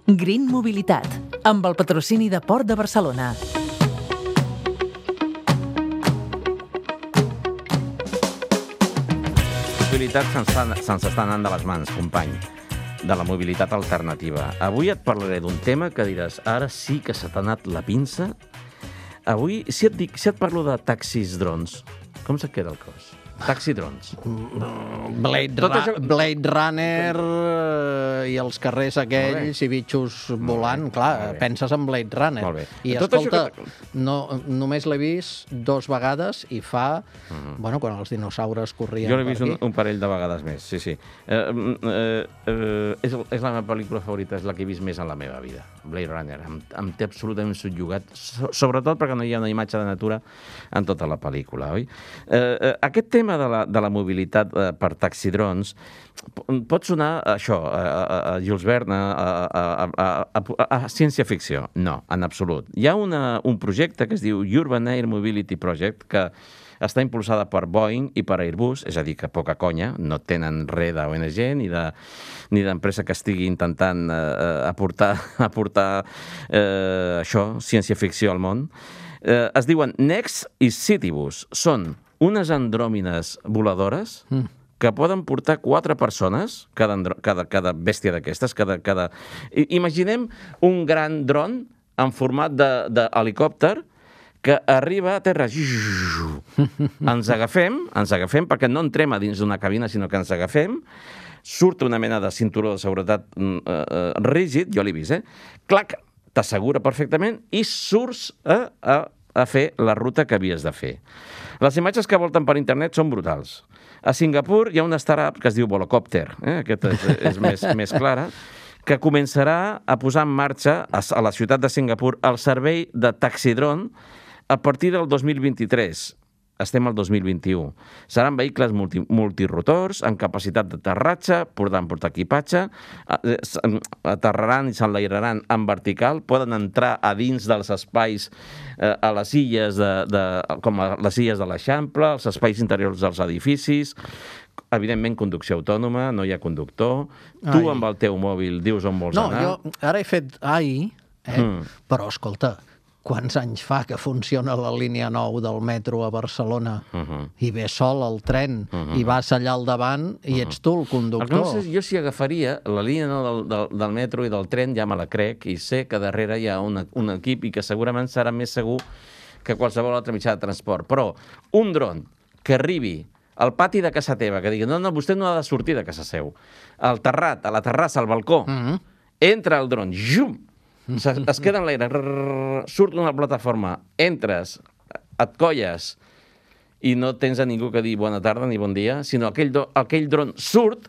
Green Mobilitat, amb el patrocini de Port de Barcelona. La mobilitat se'ns està anant de les mans, company, de la mobilitat alternativa. Avui et parlaré d'un tema que diràs, ara sí que se t'ha anat la pinça. Avui, si et parlo de taxis drons, com se't queda el cos? Taxi drons. Blade Runner i els carrers aquells i bitxos volant, clar, penses en Blade Runner. Molt bé. I escolta, només l'he vist 2 vegades i fa, bueno, quan els dinosaures corrien jo l'he per vist aquí. un parell de vegades més, sí. És la meva pel·lícula favorita, és la que he vist més en la meva vida. Blade Runner, em té absolutament subjugat, sobretot perquè no hi ha una imatge de natura en tota la pel·lícula, oi? Aquest tema de la mobilitat per taxidrons pot sonar això, a Jules Verne, a ciència-ficció. No, en absolut. Hi ha un projecte que es diu Urban Air Mobility Project, que està impulsada per Boeing i per Airbus, és a dir, que poca conya, no tenen res d'ONG ni d'empresa que estigui intentant aportar això, ciència-ficció al món. Es diuen Next i Citybus. Són unes andròmines voladores que poden portar 4 persones, cada bèstia d'aquestes. Imaginem un gran dron en format d'helicòpter que arriba a terra. Ens agafem perquè no entrem a dins d'una cabina, sinó que ens agafem, surt una mena de cinturó de seguretat rígid, jo l'he vist, clac, t'assegura perfectament i surts a fer la ruta que havies de fer. Les imatges que volten per internet són brutals. A Singapur hi ha una startup que es diu Volocopter, aquesta és més clara, que començarà a posar en marxa a la ciutat de Singapur el servei de taxidron a partir del 2023. Estem al 2021. Seran vehicles multirotors, amb capacitat d'aterratge, podran portar equipatge, aterraran i s'enlairaran en vertical, poden entrar a dins dels espais, a les illes, com a les illes de l'Eixample, els espais interiors dels edificis, evidentment conducció autònoma, no hi ha conductor, tu amb el teu mòbil dius on vols anar. No, jo ara he fet però escolta, quants anys fa que funciona la línia 9 del metro a Barcelona i ve sol al tren i vas allà al davant i ets tu el conductor? Jo si agafaria la línia 9 del metro i del tren, ja me la crec, i sé que darrere hi ha un equip i que segurament serà més segur que qualsevol altre mitjà de transport. Però un dron que arribi al pati de casa teva, que digui, no, vostè no ha de sortir de casa seu, al terrat, a la terrassa, al balcó, entra el dron, es queda en l'aire, surt d'una plataforma, entres, et colles i no tens a ningú que dir bona tarda ni bon dia, sinó aquell dron surt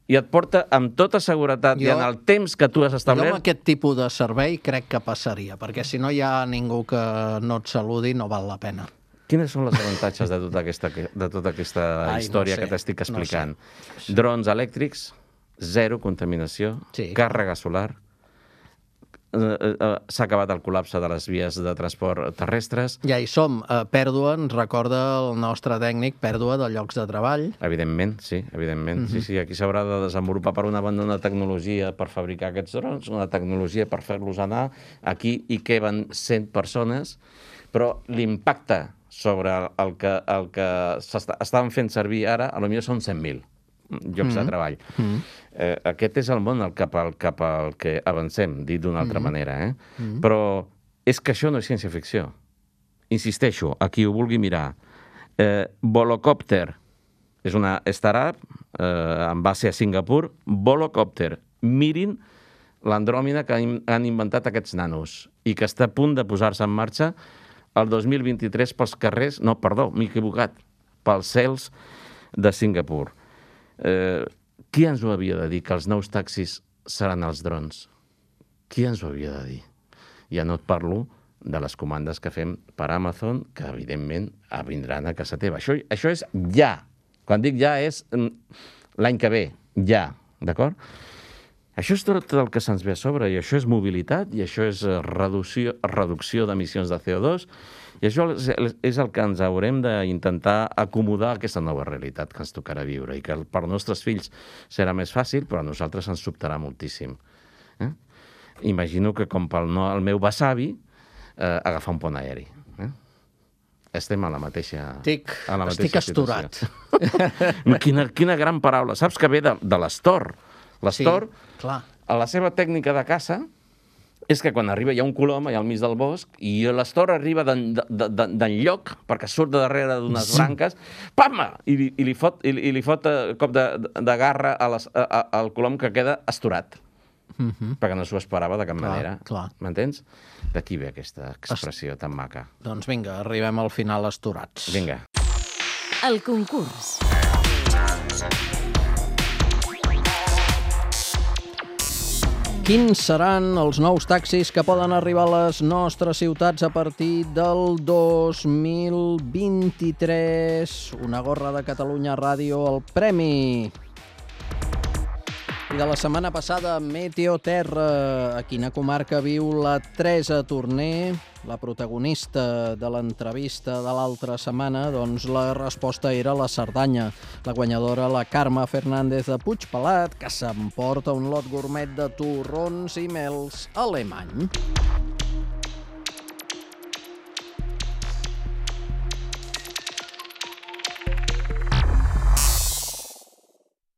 i et porta amb tota seguretat i en el temps que tu has establert. Jo amb aquest tipus de servei crec que passaria, perquè si no hi ha ningú que no et saludi no val la pena. Quines són els avantatges de tota aquesta història que t'estic explicant? Drons elèctrics, zero contaminació, càrrega solar, s'ha acabat el col·lapse de les vies de transport terrestres. Ja hi som. Pèrdua, ens recorda el nostre tècnic, pèrdua de llocs de treball. Evidentment, sí, evidentment. Sí, aquí s'haurà de desenvolupar per una banda una tecnologia per fabricar aquests drons, una tecnologia per fer-los anar aquí i que van 100 persones, però l'impacte sobre el que s'estaven fent servir ara, potser són 100.000 llocs de treball. Aquest és el món cap al que avancem, dit d'una altra manera. Però és que això no és ciència-ficció. Insisteixo, a qui ho vulgui mirar. Volocopter és una startup amb base a Singapur. Volocopter. Mirin l'andròmina que han inventat aquests nanos i que està a punt de posar-se en marxa el 2023 pels carrers... No, perdó, m'he equivocat. Pels cels de Singapur. Qui ens ho havia de dir, que els nous taxis seran els drons? Qui ens ho havia de dir? Ja no et parlo de les comandes que fem per Amazon, que evidentment vindran a casa teva. Això és ja. Quan dic ja és l'any que ve. Ja. D'acord? Això és tot el que se'ns ve a sobre, i això és mobilitat, i això és reducció d'emissions de CO2, i això és el que ens haurem d'intentar acomodar a aquesta nova realitat que ens tocarà viure, i que per als nostres fills serà més fàcil, però a nosaltres ens sobtarà moltíssim. imagino que com pel el meu besavi, agafar un pont aeri. Estem a la mateixa Estic asturat. Quina gran paraula. Saps que ve de l'astor. L'astor, a la seva tècnica de caça, és que quan arriba hi ha un colom allà al mig del bosc i l'astor arriba d'enlloc perquè surt de darrere d'unes branques, pam! I li fot cop de garra al colom que queda astorat. Perquè no s'ho esperava de cap manera. M'entens? D'aquí ve aquesta expressió tan maca. Doncs vinga, arribem al final astorats. Vinga. El concurs. Quins seran els nous taxis que poden arribar a les nostres ciutats a partir del 2023? Una gorra de Catalunya Ràdio, el premi. I de la setmana passada, Meteo Terra. A quina comarca viu la Teresa Torner, la protagonista de l'entrevista de l'altra setmana? Doncs la resposta era la Cerdanya. La guanyadora, la Carme Fernández de Puigpelat, que s'emporta un lot gourmet de torrons i mels alemany.